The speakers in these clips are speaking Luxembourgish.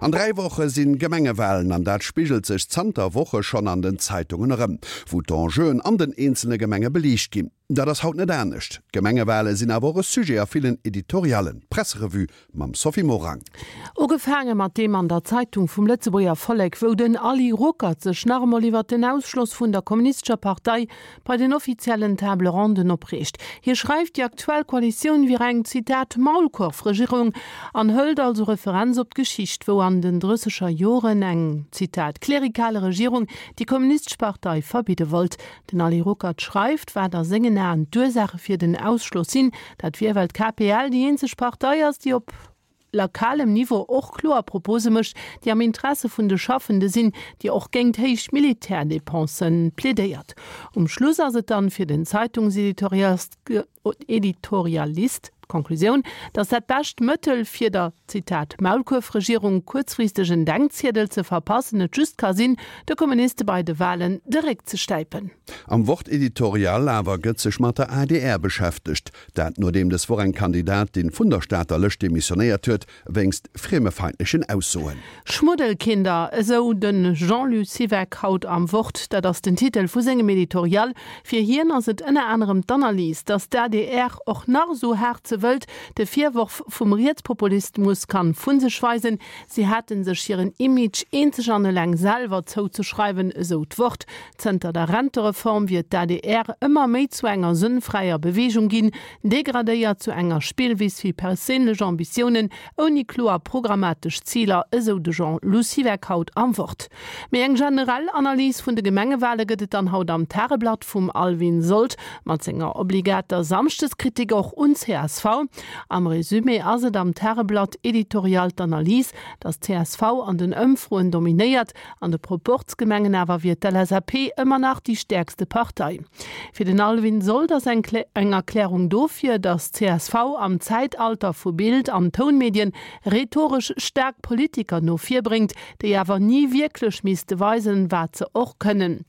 An 3 Woche sinn Gemengewahlen an dat spigelt sech zanter Woche schonn an den Zeitungen erëm, wou d'Enjeuen an den eenzele Gemenge beliicht ginn. Dat ass haut net anescht. D'Gemengewale sinn awer och e Sujet a villen Editoriallen. D'Presserevue mam Sophie Morang. Ugefaange mat deem an der Zeitung vum Lëtzebuerger Vollek, wou den Ali Ruckert sech nach emol iwwert den Ausschloss vun der Kommunistescher Partei bei den offiziellen Table Ronden opreegt. Hie schreift, déi aktuell Koalitioun wier eng, Zitat, Maulkorfregierung an hëlt also Referenz op d'Geschicht, wou an den drësseger Joren eng, Zitat, klerikale Regierung déi Kommunistesch Partei verbidde wollt. Den Ali Ruckert schreift, wat a sengen Aen d'Ursaache fir den Ausschloss sinn. Dat wier, well d'KPL déi eenzeg Partei ass, déi op lokalem Niveau och kloer Propose mécht, déi am Interesse vun de Schaffende sinn, déi och géingt héich Militärdepensen plädéiert. Um Schluss ass et dann fir den Zeitungseditorialist d'Konklusioun, datt dat bescht Mëttel fir der, Zitat, Maulkuerfregierung kuerzfristeg en Denkziedel ze verpassen et just ka sinn, de Kommuniste bei de Wahlen de Réck ze stäipen. Am Wort-Editorial awer gëtt sech mat der adr beschäftegt. Dat nodeem des Woch eng Kandidatin vun der Stater Lëscht demissionéiert huet, wéinst friemefeindlechen Aussoen. Schmuddelkinder, esou de Jean-Lou Siweck haut am Wort. Dat ass den Titel vu sengem Editorial. Fir hien ass et ënner anerem d'Analys, datt d'ADR och nach esou haart se wëllt, de Virworf vum Rietspopulismus kann vu sech weisen. Si hätte sech hiren Image eenzeg an eleng selwer zouzeschreiwen, esou d'Wort. Zënter der Rentereform wier d'ADR ëmmer méi zu enger sënnfräier Beweegung ginn, degradéiert zu enger Spillwiss fir perséinlech Ambitiounen, ouni kloer programmatesch Ziler, esou de Jean-Lou Siweck haut am Wort. Méi eng generell Analys vun de Gemengewale gëtt et dann haut am Tageblatt vum Alwin Sold, mat senger obligater Samschdeskritik och un csv. Am Resumé ass et am Tageblatt-Editorial d'Analys, datt csv an den Ëmfroen dominéiert, An de Proporzgemengen awer wier d'LSAP ëmmer nach déi stäerkste Partei. Fir den Alwin Sold ass eng eng Erklärung dofir, datt csv am Zäitalter vu Bild an Tounmedien rhetoresch staark Politiker no vir bréngt, déi awer ni wierklech misste weisen, wat se och kënnen.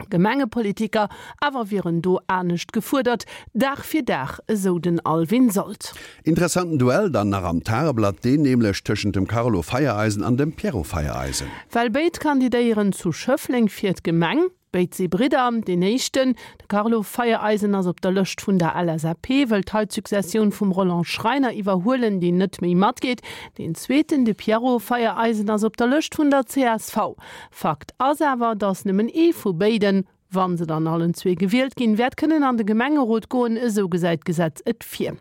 Gemengepolitiker awer wieren do anescht gefuerdert, Dag fir Dag, esou den Alwin Sold. Interessanten Duell dann nach am Tageblatt, deen nämlech tëschent dem Carlo Feiereisen an dem Pierrot Feiereisen. Well béid kandidéieren zu Schëffleng fir d'Gemeng. Béid si Bridder. Deen éischten, de Carlo Feiereisen, ass op der Lëscht vun der LSAP, wëllt hei d'Successioun vum Roland Schreiner iwwerhuelen, deen net méi matgeet. Deen zweeten, de Pierrot Feiereisen, ass op der Lëscht vun der csv. Fakt ass awer, datt nëmmen ee vu béiden, wa se dann allen zwee gewielt ginn, wäert kënnen an de Gemengerot goen, esou gesäit d'Gesetz et vir.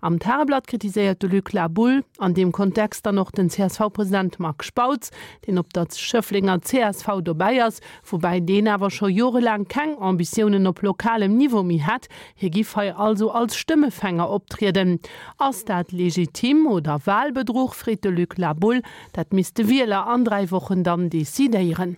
Am Tageblatt kritiséiert de Luc Laboule an deem Kontext dann och den CSV-President Marc Spautz, deen op der Schëfflenger csv dobäi ass, woubäi deen awer scho jorelaang keng Ambitiounen op lokalem Niveau méi hätt. Hie giff hei also als Stëmmefänger optrieden. Ass dat legitim oder Wahlbedruch, freet de Luc Laboule. Dat misst de Wieler an 3 Wochen dann decidéieren.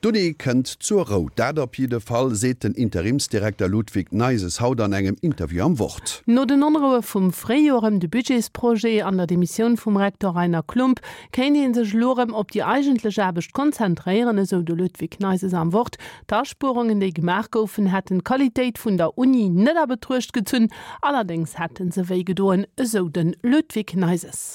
D'Uni kënnt zur Rou, dat op jidde Fall seet den Interimsdirekter Ludwig Neyses haut an engem Interview am Wort. No den Onroue vum Fréijoer ëm de Budgetsprojet an der Demissioun vum Rektor Rainer Klump kéint ee sech elo erëm op déi eigentlech Aarbecht konzentréieren, esou de Ludwig Neyses am Wort. D'Aspuerungen, déi gemaach goufen, hätten d'Qualitéit vun der Uni net a Betruecht gezunn, allerdéngs hätte se wéi gedoen, esou de Ludwig Neyses.